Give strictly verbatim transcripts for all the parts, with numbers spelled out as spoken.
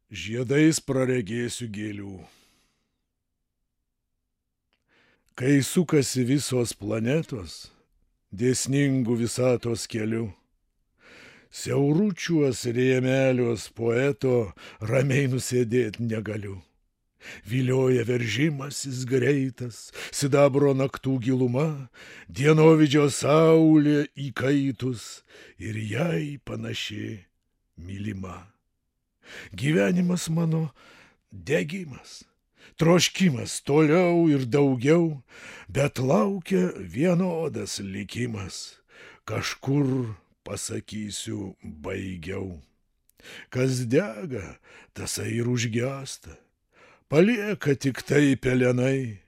Žiedais praregėsiu gėlių. Kai sukasi visos planetos, dėsningų visatos keliu, siauručiuos rėmeliuos poeto ramiai nusėdėt negaliu. Vilioja veržimasis greitas, sidabro naktų giluma, dienovidžio saulė įkaitus ir jai panaši mylima. Gyvenimas mano degimas, troškimas toliau ir daugiau, bet laukia vienodas likimas, kažkur pasakysiu baigiau. Kas dega, tasai ir užgęsta, palieka tik tai pelenai,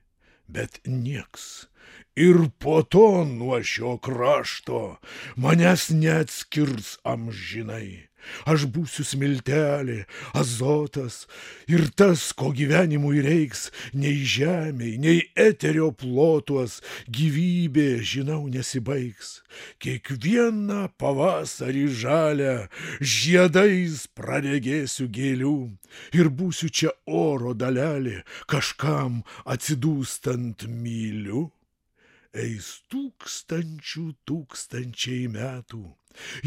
bet nieks ir po to nuo šio krašto manęs neatskirs amžinai. Aš būsiu smiltelė, azotas ir tas, ko gyvenimui reiks, nei žemei, nei eterio plotuos gyvybė, žinau, nesibaigs. Kiekvieną pavasarį žalią žiedais praregėsiu gėlių ir būsiu čia oro dalelė, kažkam atsidūstant myliu. Eis tūkstančių tūkstančiai metų,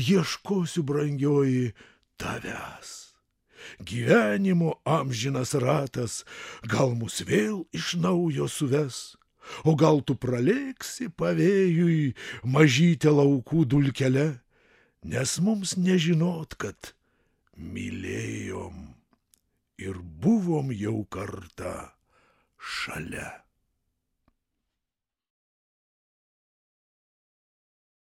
ieškosiu, brangioji, tavęs. Gyvenimo amžinas ratas gal mus vėl iš naujo suves, o gal tu pralėksi pavėjui mažytę laukų dulkele, nes mums nežinot, kad mylėjom ir buvom jau kartą šalia.